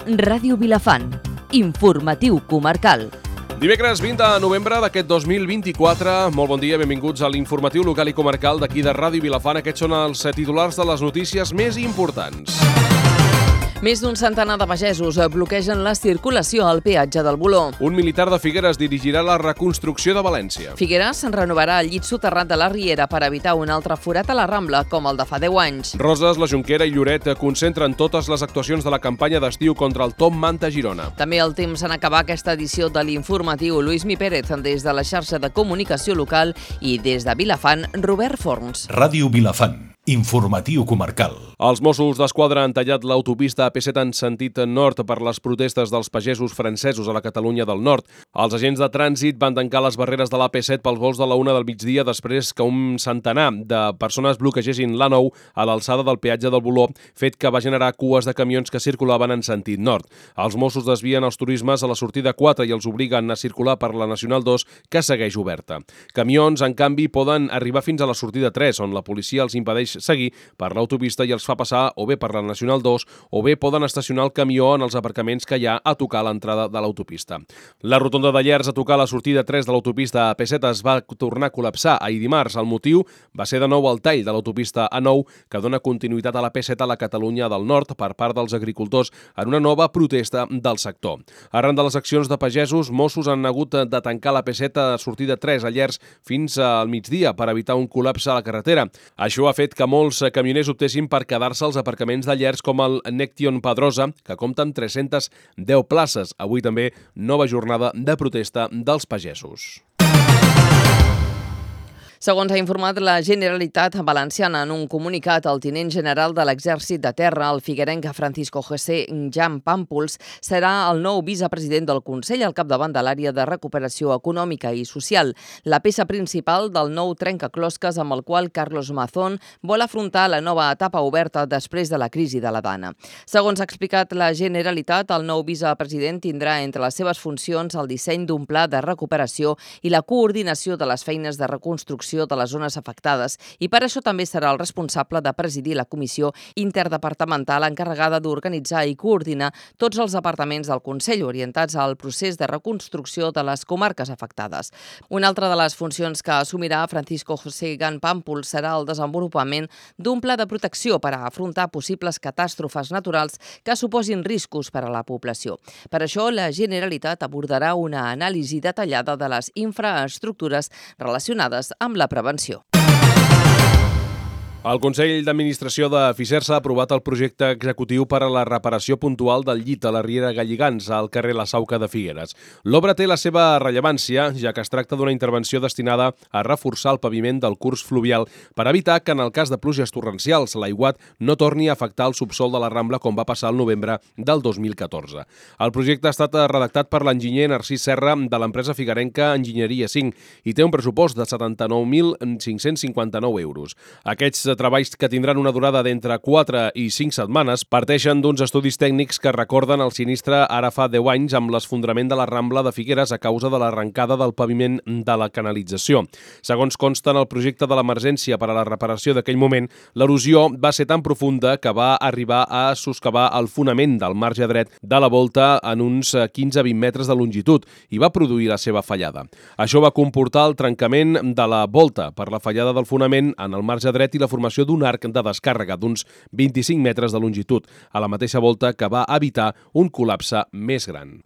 Ràdio Vilafant. Informatiu comarcal. Dimecres 20 de novembre d'aquest 2024. Molt bon dia, benvinguts a l'informatiu local i comarcal d'aquí de Ràdio Vilafant. Aquests són els titulars de les notícies més importants. Més d'un centenar de pagesos bloquegen la circulació al peatge del Voló. Un militar de Figueres dirigirà la reconstrucció de València. Figueres renovarà el llit soterrat de la Riera per evitar un altre forat a la Rambla, com el de fa 10 anys. Roses, la Jonquera i Lloret concentren totes les actuacions de la campanya d'estiu contra el Top Manta Girona. També el temps en acabar aquesta edició de l'informatiu. Luismi Pérez, des de la xarxa de comunicació local, i des de Vilafant, Robert Forns. Ràdio Vilafant. Informatiu comarcal. Els Mossos d'Esquadra han tallat l'autopista AP7 en sentit nord per les protestes dels pagesos francesos a la Catalunya del Nord. Els agents de trànsit van tancar les barreres de l'AP7 pels vols de la 1 del migdia després que un centenar de persones bloquegessin l'A9 a l'alçada del peatge del Voló, fet que va generar cues de camions que circulaven en sentit nord. Els Mossos desvien els turismes a la sortida 4 i els obliguen a circular per la Nacional 2, que segueix oberta. Camions, en canvi, poden arribar fins a la sortida 3, on la policia els impedeix seguir per l'autopista i els fa passar o bé per la Nacional 2 o bé poden estacionar el camió en els aparcaments que hi ha a tocar l'entrada de l'autopista. La rotonda de Llers a tocar la sortida 3 de l'autopista AP7 es va tornar a col·lapsar ahir dimarts. El motiu va ser de nou el tall de l'autopista A9 que dona continuïtat a l'AP7 a la Catalunya del Nord per part dels agricultors en una nova protesta del sector. Arran de les accions de pagesos, Mossos han hagut de tancar l'AP7 a sortida 3 a Llers fins al migdia per evitar un col·lapse a la carretera. Això ha fet que molts camioners optessin per quedar-se als aparcaments de Llers com el Nection Pedrosa, que compta amb 310 places. Avui també nova jornada de protesta dels pagesos. Segons ha informat la Generalitat Valenciana en un comunicat, el tinent general de l'Exèrcit de Terra, el figuerenc Francisco José Jan Pàmpols, serà el nou vicepresident del Consell al capdavant de l'àrea de recuperació econòmica i social, la peça principal del nou trencaclosques amb el qual Carlos Mazón vol afrontar la nova etapa oberta després de la crisi de la Dana. Segons ha explicat la Generalitat, el nou vicepresident tindrà entre les seves funcions el disseny d'un pla de recuperació i la coordinació de les feines de reconstrucció de les zones afectades i per això també serà el responsable de presidir la comissió interdepartamental encarregada d'organitzar i coordinar tots els departaments del Consell orientats al procés de reconstrucció de les comarques afectades. Una altra de les funcions que assumirà Francisco José Jan Pàmpols serà el desenvolupament d'un pla de protecció per a afrontar possibles catàstrofes naturals que suposin riscos per a la població. Per això, la Generalitat abordarà una anàlisi detallada de les infraestructures relacionades amb la prevenció. El Consell d'Administració de Fisersa ha aprovat el projecte executiu per a la reparació puntual del llit a la Riera Galligans, al carrer La Sauca de Figueres. L'obra té la seva rellevància, ja que es tracta d'una intervenció destinada a reforçar el paviment del curs fluvial per evitar que, en el cas de pluges torrencials, l'aiguat no torni a afectar el subsol de la Rambla com va passar el novembre del 2014. El projecte ha estat redactat per l'enginyer Narcís Serra de l'empresa figuerenca Enginyeria 5 i té un pressupost de 79.559 euros. Aquests treballs, que tindran una durada d'entre 4 i 5 setmanes, parteixen d'uns estudis tècnics que recorden el sinistre ara fa 10 anys amb l'esfondrament de la Rambla de Figueres a causa de l'arrencada del paviment de la canalització. Segons consta en el projecte de l'emergència per a la reparació d'aquell moment, l'erosió va ser tan profunda que va arribar a soscavar el fonament del marge dret de la volta en uns 15-20 metres de longitud i va produir la seva fallada. Això va comportar el trencament de la volta per la fallada del fonament en el marge dret i la formació d'un arc de descàrrega d'uns 25 metres de longitud, a la mateixa volta que va evitar un col·lapse més gran.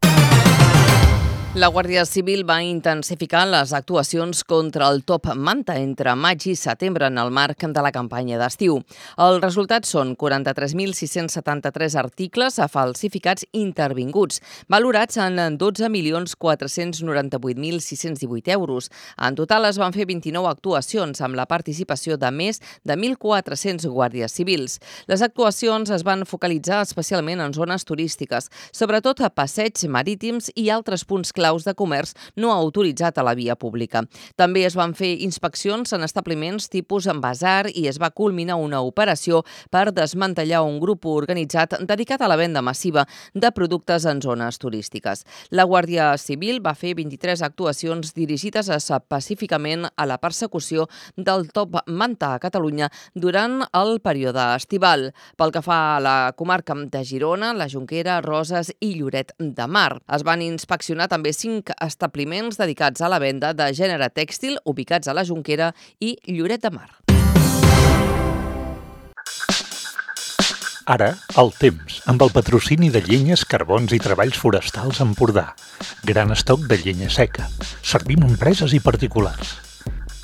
La Guàrdia Civil va intensificar les actuacions contra el Top Manta entre maig i setembre en el marc de la campanya d'estiu. Els resultats són 43.673 articles falsificats intervinguts, valorats en 12.498.618 euros. En total es van fer 29 actuacions amb la participació de més de 1.400 guàrdies civils. Les actuacions es van focalitzar especialment en zones turístiques, sobretot a passeigs marítims i altres punts claus de comerç no autoritzat a la via pública. També es van fer inspeccions en establiments tipus basar i es va culminar una operació per desmantellar un grup organitzat dedicat a la venda massiva de productes en zones turístiques. La Guàrdia Civil va fer 23 actuacions dirigides específicament a la persecució del top manta a Catalunya durant el període estival. Pel que fa a la comarca de Girona, la Jonquera, Roses i Lloret de Mar. Es van inspeccionar també 5 establiments dedicats a la venda de gènere tèxtil ubicats a la Jonquera i Lloret de Mar. Ara, el temps, amb el patrocini de Llenyes, Carbons i Treballs Forestals Empordà. Gran estoc de llenya seca. Servim a empreses i particulars.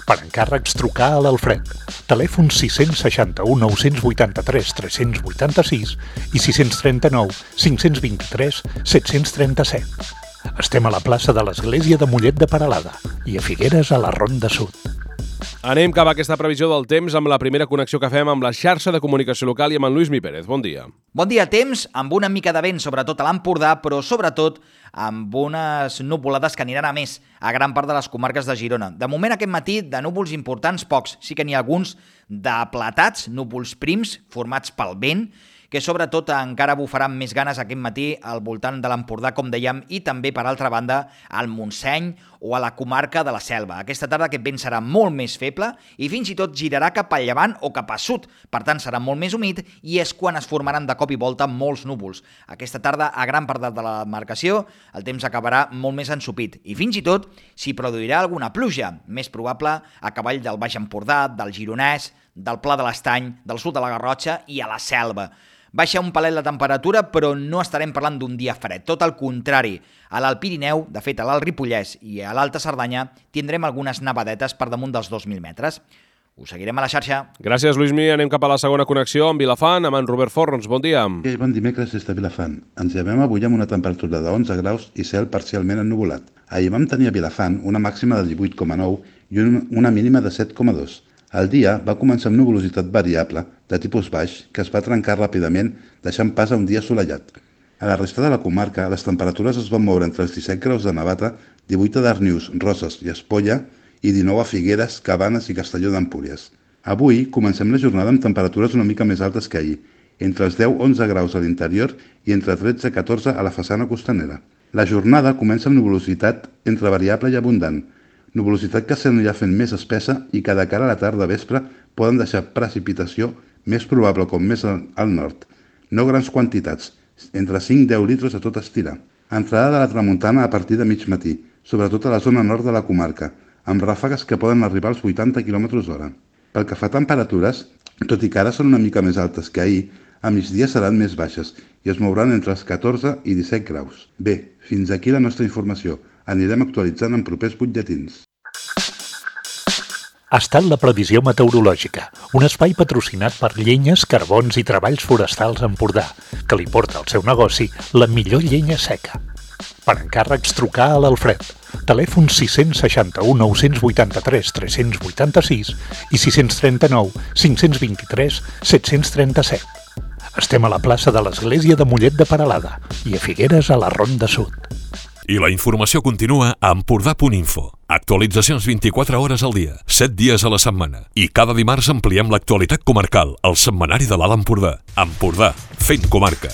Per encàrrecs, trucar a l'Alfred. Telèfon 661 983 386 i 639 523 737. Estem a la plaça de l'Església de Mollet de Peralada i a Figueres a la Ronda Sud. Anem cap a aquesta previsió del temps amb la primera connexió que fem amb la xarxa de comunicació local i amb en Lluís Mi Pérez. Bon dia. Bon dia, temps, amb una mica de vent, sobretot a l'Empordà, però sobretot amb unes nuvolades que aniran a més a gran part de les comarques de Girona. De moment, aquest matí, de núvols importants, pocs. Sí que n'hi ha alguns d'aplatats, núvols prims, formats pel vent, que sobretot encara bufaran més ganes aquest matí al voltant de l'Empordà, com dèiem, i també, per altra banda, al Montseny o a la comarca de la Selva. Aquesta tarda aquest vent serà molt més feble i fins i tot girarà cap a llevant o cap a sud. Per tant, serà molt més humit i és quan es formaran de cop i volta molts núvols. Aquesta tarda, a gran part de la demarcació, el temps acabarà molt més ensopit i fins i tot s'hi produirà alguna pluja, més probable a cavall del Baix Empordà, del Gironès, del Pla de l'Estany, del sud de la Garrotxa i a la Selva. Baixa un palet la temperatura, però no estarem parlant d'un dia fred. Tot el contrari. A l'Alt Pirineu, de fet a l'Alt Ripollès i a l'Alta Cerdanya, tindrem algunes nevadetes per damunt dels 2.000 metres. Us seguirem a la xarxa. Gràcies, Lluís Mi. Anem cap a la segona connexió amb Vilafant, amb en Robert Forns. Bon dia. Bon dimecres des de Vilafant. Ens llevem avui amb una temperatura de 11 graus i cel parcialment ennuvolat. Ahir vam tenir a Vilafant una màxima de 18,9 i una mínima de 7,2. El dia va començar amb nuvolositat variable, de tipus baix, que es va trencar ràpidament, deixant pas a un dia assolellat. A la resta de la comarca, les temperatures es van moure entre els 17 graus de Navata, 18 a Darnius, Roses i Espolla i 19 a Figueres, Cabanes i Castelló d'Empúries. Avui comencem la jornada amb temperatures una mica més altes que ahir, entre els 10-11 graus a l'interior i entre 13-14 a la façana costanera. La jornada comença amb nuvolositat entre variable i abundant, nuvolositat que s'anirà fent més espessa i que de cara a la tarda vespre poden deixar precipitació més probable com més al nord. No grans quantitats, entre 5-10 litres a tot estirar. Entrada de la tramuntana a partir de mig matí, sobretot a la zona nord de la comarca, amb ràfegues que poden arribar als 80 km/h. Pel que fa a temperatures, tot i que ara són una mica més altes que ahir, a migdia seran més baixes i es mouran entre els 14 i 17 graus. Bé, fins aquí la nostra informació. Anirem actualitzant en propers butlletins. Ha estat la previsió meteorològica, un espai patrocinat per Llenyes, Carbons i Treballs Forestals Empordà, que li porta al seu negoci la millor llenya seca. Per encàrrecs, trucar a l'Alfred. Telèfon 661 983 386 i 639 523 737. Estem a la plaça de l'Església de Mollet de Peralada i a Figueres a la Ronda Sud. I la informació continua a empordà.info. Actualitzacions 24 hores al dia, 7 dies a la setmana. I cada dimarts ampliem l'actualitat comarcal, al setmanari de l'Alt Empordà. Empordà, fent comarca.